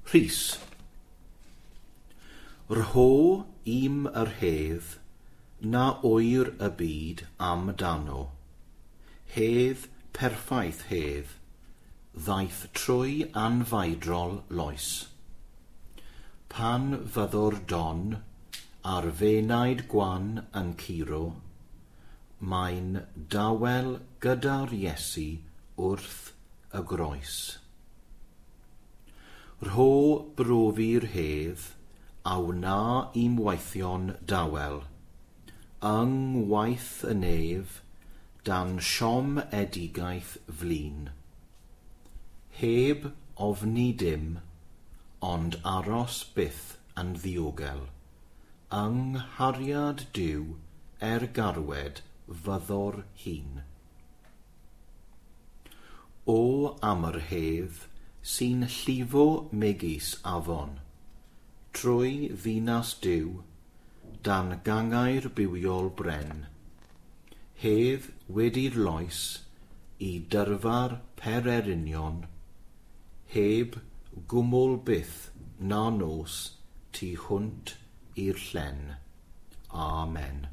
Rhys. Rho i'm yr hedd na ŵyr y byd am dano. Hedd perffaith hedd, ddaeth trwy anfeidrol loes. Pan fyddo'r don ar f'enaid gwan yn curo, mae'n dawel gyda'r Iesu wrth y groes. Rho brofi'r hedd a wna i'm weithio'n dawel, yng ngwaith y nef, dan siomedigaeth flin. Heb ofni dim, ond aros byth yn ddiogel, yng nghariad Duw er garwed fyddo'r hun. O am yr hedd sy'n llifo megis afon, trwy ddinas Duw, dan gangau'r bywiol bren. Hedd wedi'r loes i dyrfa'r pererinion, heb gwmwl byth na nos tu hwnt i'r llen. Amen.